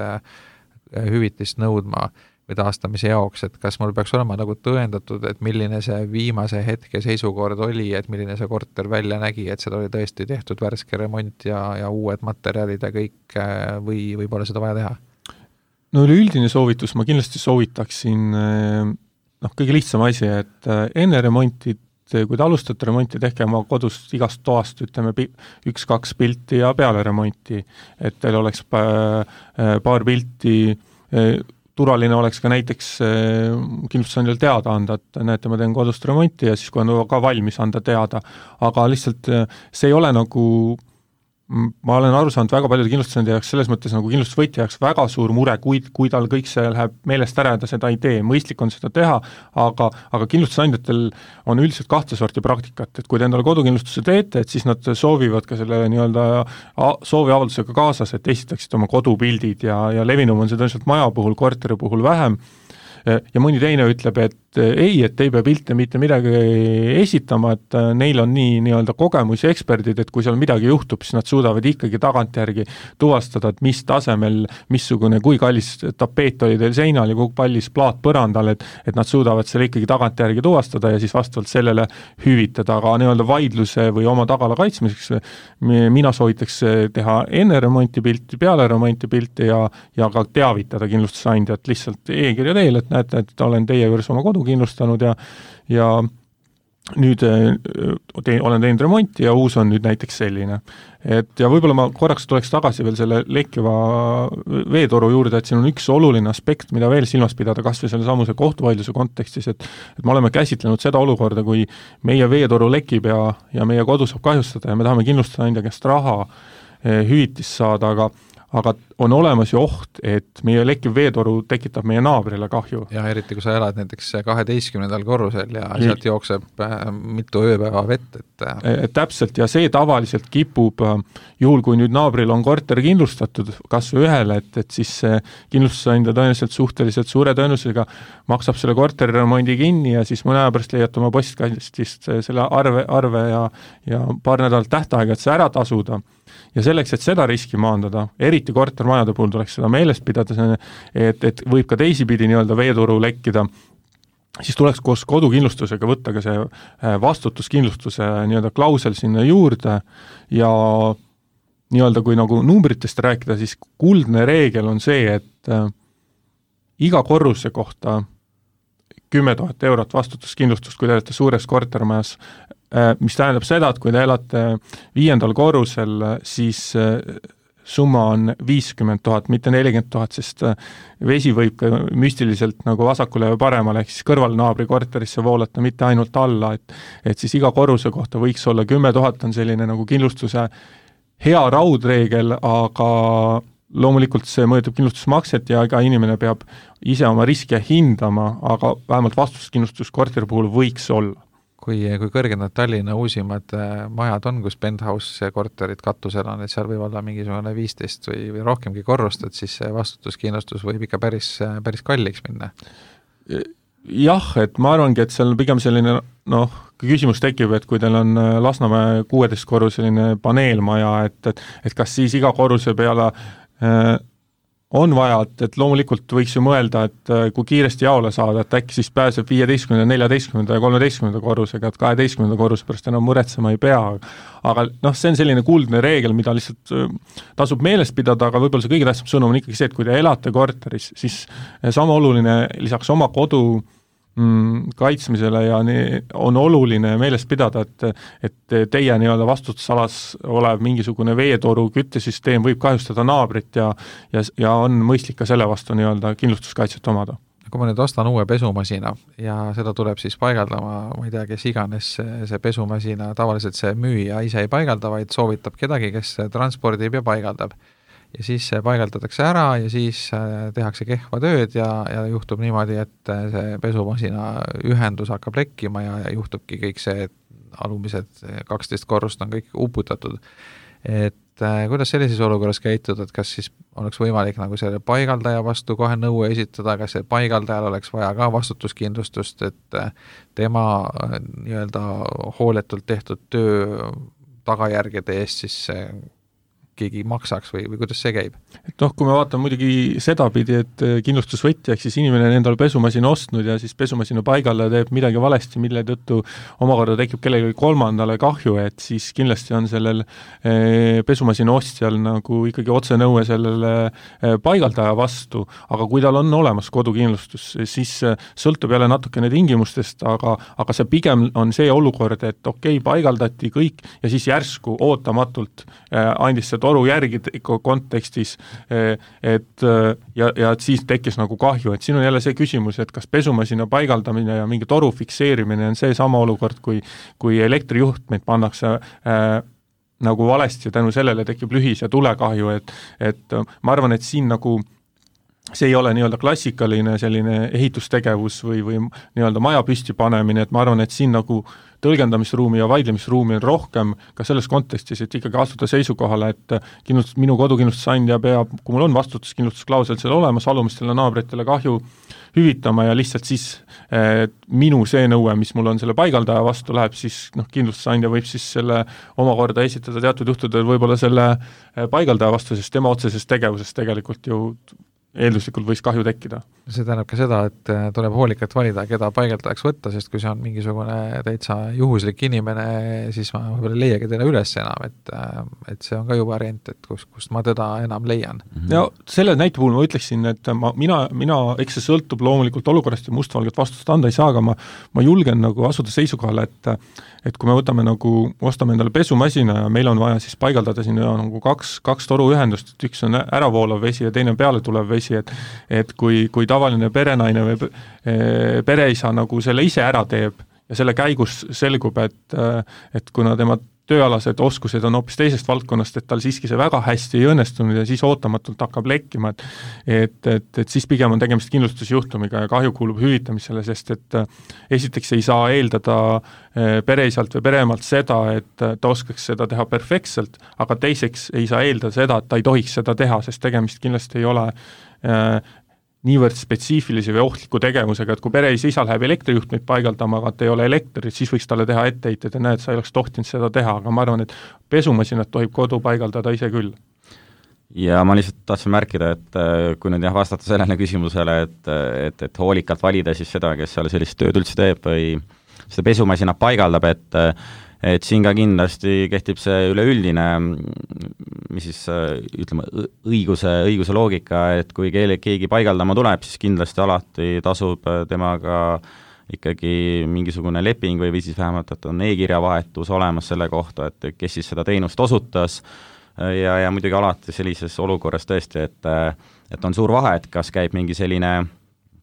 hüvitist nõudma või taastamise jaoks, et kas mul peaks olema nagu tõendatud, et milline see viimase hetke seisukord oli, et milline see korter välja nägi, et seda oli tõesti tehtud värske remont ja uued materjalid ja kõik, või pole seda vaja teha?
No üleüldine soovitus, ma kindlasti soovitaksin kõige lihtsam asi, et enne remonti, kui te alustate remonti, tehke oma kodust igast toast, ütleme, 1-2 pilti ja peale remonti, et teil oleks paar pilti, turvaline oleks ka näiteks kindlustusandjal teada anda, et näete, ma teen kodust remonti ja siis kui on ka valmis anda teada, aga lihtsalt see ei ole nagu, ma olen aru saanud väga paljude kindlustusandja jaoks selles mõttes nagu kindlustusvõtja jaoks väga suur mure, kui tal kõik see läheb meelest ära ja ta seda ei tee, mõistlik on seda teha, aga kindlustusandjatel on üldiselt 2 sorti praktikat, et kui te endale kodukindlustuse teete, et siis nad soovivad ka selle nii-öelda sooviavaldusega kaasas, et esitaksite oma kodupildid ja levinum on seda lihtsalt maja puhul, korteri puhul vähem, ja mõni teine ütleb, et ei pea pilte mitte midagi esitama, et neil on nii-öelda kogemusi eksperdid, et kui seal midagi juhtub, siis nad suudavad ikkagi tagantjärgi tuvastada, et mis tasemel, missugune, kui kallis tapeet oli teil seinal ja kui pallis plaat põrandal, et nad suudavad selle ikkagi tagantjärgi tuvastada ja siis vastavalt sellele hüvitada, aga nii-öelda vaidluse või oma tagala kaitsmiseks mina soovitaks teha enne remonti pilti, peale remonti pilti ja ka teavitada kindlustusandjat lihtsalt e-kirja teel, et näete, et olen teie juures oma kodu kindlustanud ja nüüd olen teinud remonti ja uus on nüüd näiteks selline. Ja võib-olla ma korraks tuleks tagasi veel selle lekkiva veetoru juurde, et siin on üks oluline aspekt, mida veel silmas pidada, kas või selle samuse kohtuvaidluse kontekstis, et me oleme käsitlenud seda olukorda, kui meie veetoru lekib ja meie kodu saab kahjustada ja me tahame kindlustusandja käest raha hüvitist saada, aga on olemas ju oht, et meie lekkiv veetoru tekitab meie naabrile kahju.
Ja eriti, kui sa elad näiteks 12. korrusel ja sealt jookseb mitu ööpäeva vett.
Täpselt, ja see tavaliselt kipub, juhul kui nüüd naabril on korter kindlustatud, kas või ühele, et siis kindlustusandja tõenäoliselt suhteliselt suure tõenäosusega maksab selle korteri remondi kinni ja siis mõne aja pärast leiate oma postkastist selle arve ja paar nädalat tähtaega, et see ära tasuda. Ja selleks, et seda riski maandada, eriti kortermajade puhul tuleks seda meelest pidada, et võib ka teisipidi nii-öelda veetoru lekkida, siis tuleks koos kodukindlustusega võtta ka see vastutuskindlustuse nii-öelda klausel sinna juurde ja nii-öelda kui nagu numbritest rääkida, siis kuldne reegel on see, et iga korruse kohta 10 000 eurot vastutuskindlustust, kui te olete suures kortermajas, mis tähendab seda, et kui te elate 5. korrusel, siis summa on 50 000, mitte 40 000, sest vesi võib ka müstiliselt nagu vasakule või paremale, ehk siis kõrvalnaabri korterisse voolata, mitte ainult alla, et siis iga korruse kohta võiks olla 10 000 on selline nagu kindlustuse hea raudreegel, aga loomulikult see mõjutab kindlustusmakset ja iga inimene peab ise oma riske hindama, aga vähemalt vastutuskindlustus korteri puhul võiks olla.
Kui kõrged nad Tallinna uusimad majad on, kus penthouse korterid katusel on, et seal võib olla mingisugune 15 või rohkemgi korrust, et siis see vastutuskindlustus võib ikka päris kalliks minna.
Jah, et ma arvangi, et seal pigem selline, küsimus tekib, et kui teil on Lasnamäe 16 korruseline paneelmaja, et kas siis iga korruse peale on vaja, et loomulikult võiks ju mõelda, et kui kiiresti jaole saada, et äkki siis pääseb 15., 14. ja 13. korrusega, et 12. korruse pärast enam muretsema ei pea. Aga see on selline kuldne reegel, mida lihtsalt tasub meelest pidada, aga võib-olla see kõige tähtsam sõnum on ikkagi see, et kui te elate korteris, siis sama oluline lisaks oma kodu kaitsmisele ja on oluline meelest pidada, et teie nii-öelda vastutusalas olev mingisugune veetoru küttesüsteem võib kahjustada naabrit ja on mõistlik ka selle vastu nii-öelda kindlustuskaitset omada.
Kui ma nüüd ostan uue pesumasina ja seda tuleb siis paigaldama, ma ei tea, kes iganes see pesumasina, tavaliselt see müüja ise ei paigalda, vaid soovitab kedagi, kes transpordib ja paigaldab. Ja siis see paigaldatakse ära ja siis tehakse kehva tööd ja juhtub niimoodi, et see pesumasina ühendus hakkab lekkima ja juhtubki kõik see alumised 12 korrust on kõik uputatud. Et kuidas sellises olukorras käituda, et kas siis oleks võimalik nagu selle paigaldaja vastu kohe nõue esitada, kas see paigaldajal oleks vaja ka vastutuskindlustust, et tema nii-öelda hooletult tehtud töö tagajärgede eest siis keegi maksaks või kuidas see käib?
Et kui me vaatame muidugi sedapidi, et kindlustusvõtja, ehk siis inimene on endale pesumasina ostnud ja siis pesumasina paigalla teeb midagi valesti, mille tõttu omakorda tekib kellelegi kolmandale kahju, et siis kindlasti on sellel pesumasina ostjal nagu ikkagi otsenõue sellele paigaldaja vastu, aga kui tal on olemas kodukindlustus, siis sõltub jälle natukene tingimustest, aga see pigem on see olukord, et okei, paigaldati kõik ja siis järsku ootamatult andis see toru järgi kontekstis, et siis tekkis nagu kahju, et siin on jälle see küsimus, et kas pesumasina paigaldamine ja mingi toru fikseerimine on see sama olukord, kui elektrijuhtmeid pannakse nagu valesti ja tänu sellele tekib lühis- ja tulekahju, et ma arvan, et siin nagu see ei ole nii-öelda klassikaline selline ehitustegevus või nii-öelda maja püsti panemine, et ma arvan, et siin nagu tõlgendamisruumi ja vaidlemisruumi on rohkem ka selles kontekstis, et ikkagi astuda seisukohale, et minu kodukindlustusandja peab, kui mul on vastutuskindlustusklausel seal olemas, alumistele naabritele kahju hüvitama ja lihtsalt siis minu see nõue, mis mul on selle paigaldaja vastu läheb, siis kindlustusandja võib siis selle omakorda esitada teatud juhtudel võib-olla selle paigaldaja vastu, sest tema otsesest tegevusest tegelikult ju eelduslikult võis kahju tekkida.
See tähendab ka seda, et tuleb hoolikalt valida, keda paigaldajaks võtta, sest kui see on mingisugune täitsa juhuslik inimene, siis ma võib-olla ei leiagi teda üles enam, et see on ka ju variant, et kust ma teda enam leian.
Ja selle näite puhul ma ütleksin, et mina eks see sõltub loomulikult olukorrast ja mustvalget vastust anda ei saa, aga ma julgen nagu asuda seisukohale, et kui me võtame ostame endale pesumasina ja meil on vaja siis paigaldada sinna nagu kaks toruühendust, et üks on äravoolav vesi ja teine on peale tulev vesi, et kui tavaline perenaine või pereisa nagu selle ise ära teeb ja selle käigus selgub, et kuna tema tööalased oskused on hoopis teisest valdkonnast, et tal siiski see väga hästi ei õnnestunud ja siis ootamatult hakkab lekkima, et siis pigem on tegemist kindlustusjuhtumiga ja kahju kuulub hüvitamisele, sest et esiteks ei saa eeldada pereisalt või pereemalt seda, et ta oskaks seda teha perfektselt, aga teiseks ei saa eeldada seda, et ta ei tohiks seda teha, sest tegemist kindlasti ei ole niivõrd spetsiifilise või ohtliku tegevusega, et kui pereisa läheb elektrijuhtmeid paigaldama, aga et ei ole elektrit, siis võiks talle teha etteheited ja näed, sa ei oleks tohtinud seda teha, aga ma arvan, et pesumasinat tohib kodu paigaldada ise küll.
Ja ma lihtsalt tahtsin märkida, et kui nüüd vastata sellele küsimusele, et hoolikalt valida siis seda, kes seal sellist tööd üldse teeb või seda pesumasina paigaldab, et siin ka kindlasti kehtib see üleüldine, mis siis ütleme, õiguse loogika, et kui keegi paigaldama tuleb, siis kindlasti alati tasub temaga ikkagi mingisugune leping või siis vähemalt, et on e-kirjavahetus olemas selle kohta, et kes siis seda teenust osutas ja muidugi alati sellises olukorras tõesti, et on suur vahe, et kas käib mingi selline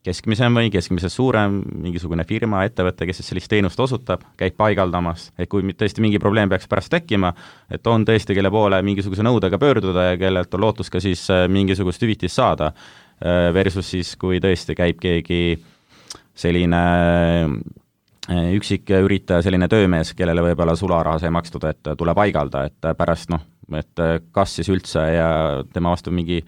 keskmisem või keskmisest suurem mingisugune firma, ettevõte, kes sellist teenust osutab, käib paigaldamas, et kui tõesti mingi probleem peaks pärast tekkima, et on tõesti, kelle poole mingisuguse nõudega pöörduda ja kellelt on lootus ka siis mingisugust hüvitist saada, versus siis, kui tõesti käib keegi selline üksik üritaja, selline töömees, kellele võib-olla sularaha sai makstud, et tule paigalda, et pärast et kas siis üldse ja tema vastu mingi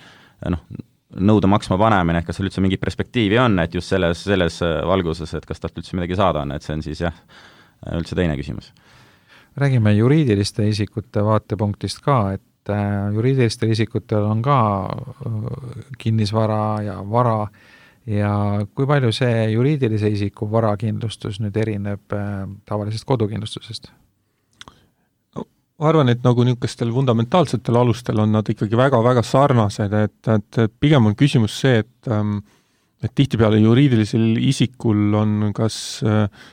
nõude maksma panemine, et kas seal üldse mingi perspektiivi on, et just selles valguses, et kas talt üldse midagi saada on, et see on siis üldse teine küsimus.
Räägime juriidiliste isikute vaatepunktist ka, et juriidilistel isikutel on ka kinnisvara ja vara ja kui palju see juriidilise isiku varakindlustus nüüd erineb tavalisest kodukindlustusest?
Ma arvan, et nagu niisugustel fundamentaalsetel alustel on nad ikkagi väga-väga sarnased, et pigem on küsimus see, et tihtipeale juriidilisel isikul on kas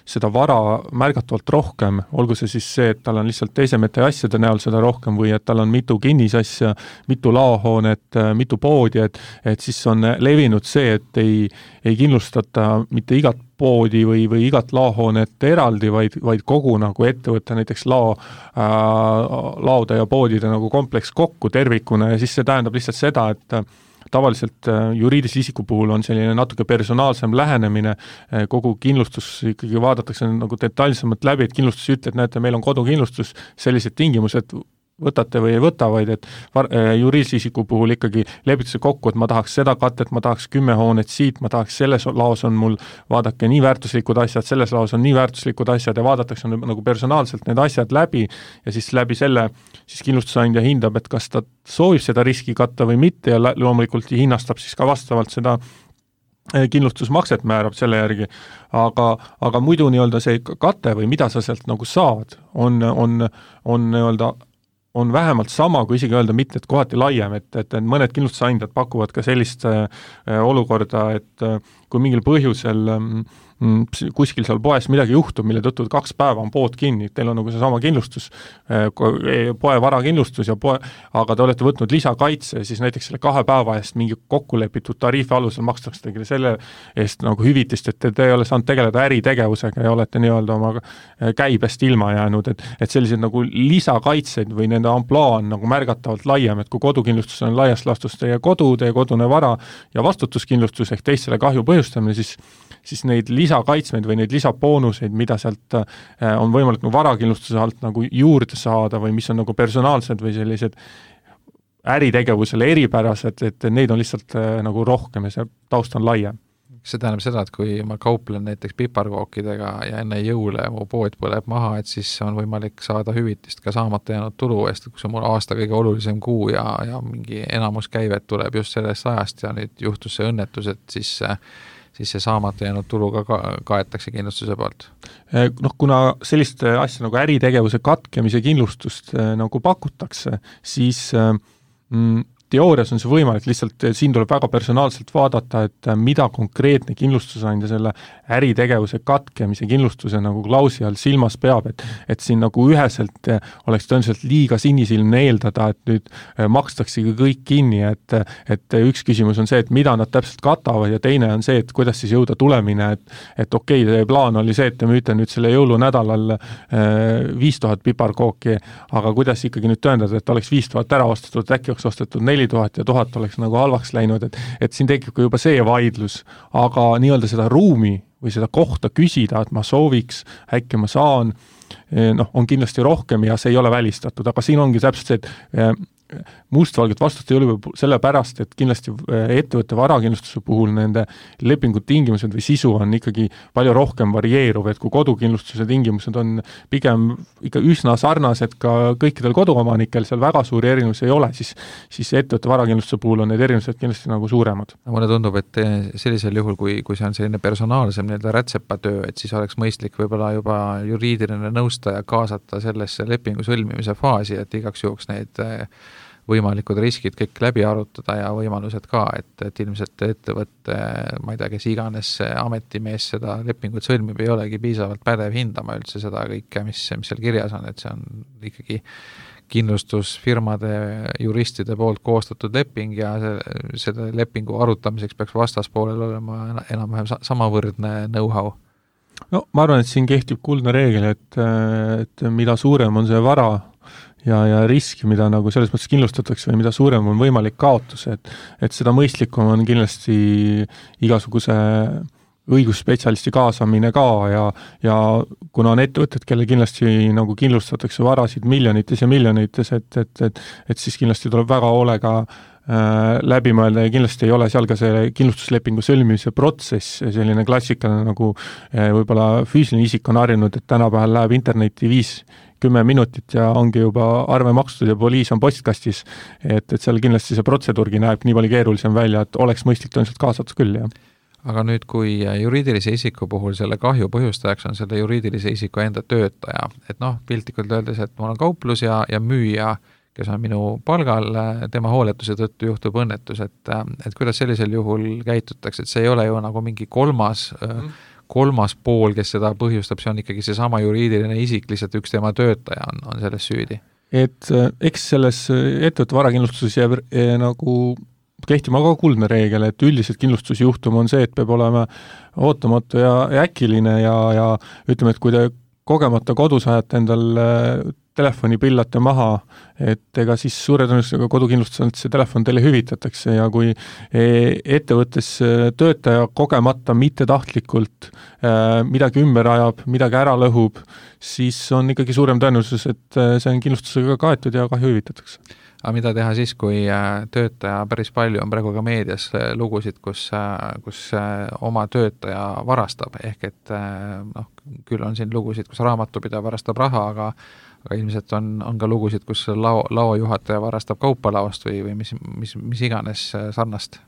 seda vara märgatavalt rohkem, olgu see siis see, et tal on lihtsalt esemete ja asjade näol seda rohkem või et tal on mitu kinnisasja, mitu laohoonet, mitu poodi, et siis on levinud see, et ei kindlustata mitte igat poodi või igat laohoonet eraldi, vaid kogu nagu ettevõtte näiteks laode ja poodide nagu kompleks kokku tervikuna ja siis see tähendab lihtsalt seda, et tavaliselt juriidilise isiku puhul on selline natuke personaalsem lähenemine, kogu kindlustus ikkagi vaadatakse nagu detailsemalt läbi, et kindlustus ütleb, et näete, meil on kodukindlustus, sellised tingimused võtate või ei võta, vaid et juriidilise isiku puhul ikkagi lepitakse kokku, et ma tahaks seda katet, ma tahaks 10 hoonet siit, ma tahaks selles laos on mul, vaadake, nii väärtuslikud asjad, selles laos on nii väärtuslikud asjad ja vaadatakse nagu personaalselt need asjad läbi ja siis läbi selle siis kindlustusandja hindab, et kas ta soovib seda riski katta või mitte ja loomulikult hinnastab siis ka vastavalt seda kindlustusmakset määrab selle järgi, aga muidu nii-öelda see kate või mida sa sealt nagu saad, on nii-öelda on vähemalt sama, kui isegi öelda mitte, et kohati laiem, et mõned kindlustusandjad pakuvad ka sellist olukorda, et kui mingil põhjusel kuskil seal poes midagi juhtub, mille tõttu 2 päeva on pood kinni, teil on nagu seesama kindlustus, poe varakindlustus ja aga te olete võtnud lisakaitse, siis näiteks selle 2 päeva eest mingi kokkulepitud tariifi alusel makstakse tegele selle eest nagu hüvitist, et te ei ole saanud tegeleda äritegevusega ja olete nii-öelda oma käibest ilma jäänud, et sellised nagu lisakaitseid või nende amplaa on nagu märgatavalt laiem, et kui kodukindlustus on laias laastus teie kodune vara ja vastutuskindlustus ehk teistele kahju põhjustamine, siis neid lisakaitsmeid või neid lisaboonuseid, mida sealt on võimalik nagu varakindlustuse alt nagu juurde saada või mis on nagu personaalsed või sellised äritegevusele eripärased, et neid on lihtsalt nagu rohkem ja see taust on laiem.
See tähendab seda, et kui ma kauplen näiteks piparkookidega ja enne jõule mu pood põleb maha, et siis on võimalik saada hüvitist ka saamata jäänud tulu eest, kui see on mul aasta kõige olulisem kuu ja mingi enamus käivet tuleb just sellest ajast ja nüüd juhtus see õnnetus, et siis see saamata jäänud tuluga kaetakse kindlustuse poolt?
Kuna sellist asja nagu äritegevuse katkemise kindlustust nagu pakutakse, siis teoorias on see võimalik, lihtsalt siin tuleb väga personaalselt vaadata, et mida konkreetne kindlustusandja selle äritegevuse katkemise kindlustuse nagu klausi all silmas peab, et siin nagu üheselt oleks tõenäoliselt liiga sinisilmne eeldada, et nüüd makstaksegi kõik kinni, et üks küsimus on see, et mida nad täpselt katavad ja teine on see, et kuidas siis jõuda tulemine, et okei, teie plaan oli see, et te müüte nüüd selle jõulunädalal 5000 piparkooki, aga kuidas ikkagi nüüd tõendada, et oleks 5000 ära ostetud, äkki oleks ostetud 4000 ja 1000 oleks nagu halvaks läinud, et siin tekib ka juba see vaidlus, aga nii-öelda seda ruumi või seda kohta küsida, et ma sooviks, äkki ma saan, on kindlasti rohkem ja see ei ole välistatud, aga siin ongi täpselt see, et mustvalget vastust ei ole sellepärast, et kindlasti ettevõtte varakindlustuse puhul nende lepingu tingimused või sisu on ikkagi palju rohkem varieeruv, et kui kodukindlustuse tingimused on pigem ikka üsna sarnased ka kõikidel koduomanikel, seal väga suuri erinevusi ei ole, siis ettevõtte varakindlustuse puhul on need erinevused kindlasti nagu suuremad.
Mulle tundub, et sellisel juhul, kui see on selline personaalsem rätsepatöö, et siis oleks mõistlik võib-olla juba juriidiline nõustaja kaasata sellesse lepingu sõlmimise faasi, et igaks juhuks neid võimalikud riskid kõik läbi arutada ja võimalused ka, et ilmselt ettevõtte, ma ei tea, kes iganes ametimees seda lepingut sõlmib, ei olegi piisavalt pädev hindama üldse seda kõike, mis seal kirjas on, et see on ikkagi kindlustusfirmade juristide poolt koostatud leping ja selle lepingu arutamiseks peaks vastaspoolel olema enam-vähem samavõrdne know-how.
No ma arvan, et siin kehtib kuldne reegel, et mida suurem on see vara ja riski, mida nagu selles mõttes kindlustatakse või mida suurem on võimalik kaotus, et seda mõistlikum on kindlasti igasuguse õigusspetsialisti kaasamine ka ja kuna on ettevõtted, kelle kindlasti nagu kindlustatakse varasid miljonites ja miljonites, et siis kindlasti tuleb väga hoolega läbi mõelda ja kindlasti ei ole seal ka see kindlustuslepingu sõlmimise protsess selline klassikaline nagu võib-olla füüsiline isik on harjunud, et tänapäeval läheb internetti 5-10 minutit ja ongi juba arve makstud ja poliis on postkastis, et seal kindlasti see protseduurgi näeb nii palju keerulisem välja, et oleks mõistlik tõenäoliselt kaasatud küll, jah.
Aga nüüd, kui juriidilise isiku puhul selle kahju põhjustajaks on selle juriidilise isiku enda töötaja, et piltlikult öeldes, et mul on kauplus ja müüja, kes on minu palgal, tema hooletuse tõttu juhtub õnnetus, et kuidas sellisel juhul käitutakse, et see ei ole ju nagu mingi kolmas pool, kes seda põhjustab, see on ikkagi see sama juriidiline isik, lihtsalt üks tema töötaja on selles süüdi.
Et eks selles ettevõtte varakindlustuses jääb nagu kehtima ka kuldne reegel, et üldiselt kindlustusjuhtum on see, et peab olema ootamatu ja äkiline ja ütleme, et kui te kogemata kodus ajate endal telefoni pillate maha, et ega siis suure tõenäosusega kodukindlustusest see telefon teile hüvitatakse ja kui ettevõttes töötaja kogemata mittetahtlikult midagi ümber ajab, midagi ära lõhub, siis on ikkagi suurem tõenäosus, et see on kindlustusega kaetud ja kahju hüvitatakse.
Aga mida teha siis, kui töötaja päris palju on praegu ka meedias lugusid, kus oma töötaja varastab, ehk et küll on siin lugusid, kus raamatupidaja varastab raha, aga ilmselt on ka lugusid, kus laojuhataja varastab kaupalaost või mis iganes sarnast.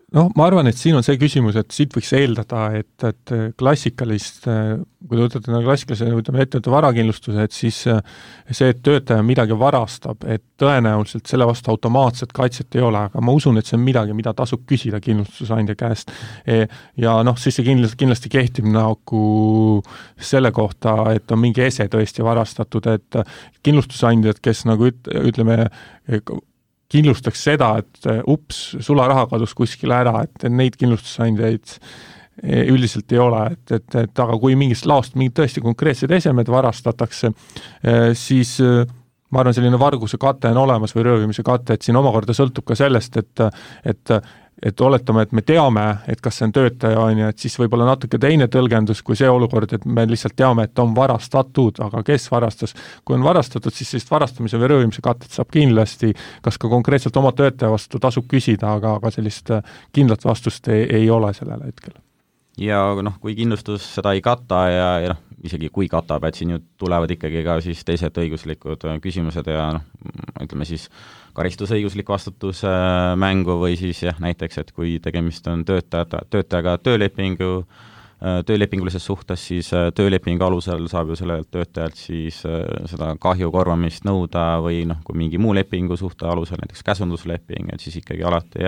Ma arvan, et siin on see küsimus, et siit võiks eeldada, et klassikalist, kui te võtate klassikalise ettevõtte varakindlustuse, et siis see, et töötaja midagi varastab, et tõenäoliselt selle vastu automaatset kaitset ei ole, aga ma usun, et see on midagi, mida tasub küsida kindlustusandja käest. Ja siis see kindlasti kehtib nagu selle kohta, et on mingi ese tõesti varastatud, et kindlustusandjad, kes nagu ütleme, kindlustaks seda, et sularaha kadus kuskile ära, et neid kindlustusandjaid üldiselt ei ole, et aga kui mingist laost mingid tõesti konkreetsed esemed varastatakse, siis ma arvan, selline varguse kate on olemas või röövimise kate, et siin omakorda sõltub ka sellest, et oletame, et me teame, et kas see on töötaja, et siis võib-olla natuke teine tõlgendus kui see olukord, et me lihtsalt teame, et on varastatud, aga kes varastas. Kui on varastatud, siis sellist varastamise või röövimise katet saab kindlasti, kas ka konkreetselt oma töötaja vastu tasub küsida, aga sellist kindlat vastust ei ole sellel hetkel.
Ja kui kindlustus seda ei kata ja isegi kui katab, et siin ju tulevad ikkagi ka siis teised õiguslikud küsimused ja ütleme siis karistusõiguslik vastutus mängu või siis näiteks, et kui tegemist on töötajaga töölepingulises suhtes, siis töölepingu alusel saab ju sellelt töötajalt siis seda kahju korvamist nõuda või kui mingi muu lepingu suhte alusel, näiteks käsundusleping, et siis ikkagi alati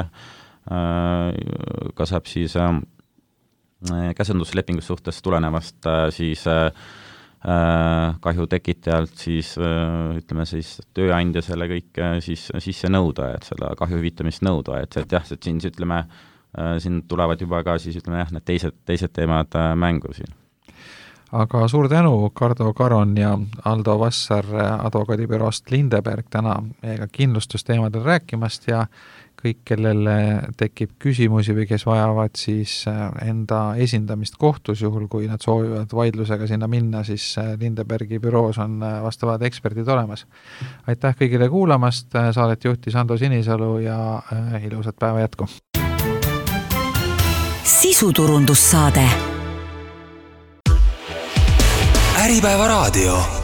ka saab siis käsunduslepingu suhtes tulenevast siis kahju tekitajalt siis ütleme siis tööandja selle kõik siis sisse nõuda, et seda kahju hüvitamist nõuda, et siin ütleme, siin tulevad juba ka siis ütleme need teised teemad mängu siin.
Aga suur tänu, Kardo Karon ja Aldo Vassar advokaadibüroost Lindeberg täna meiega kindlustusteemadel rääkimast ja kõik, kellel tekib küsimusi või kes vajavad siis enda esindamist kohtus, juhul kui nad soovivad vaidlusega sinna minna, siis Lindebergi büroos on vastavad eksperdid olemas. Aitäh kõigile kuulamast, saadet juhtis Ando Sinisalu ja ilusat päeva jätku!
Sisuturundussaade.
Äripäeva raadio.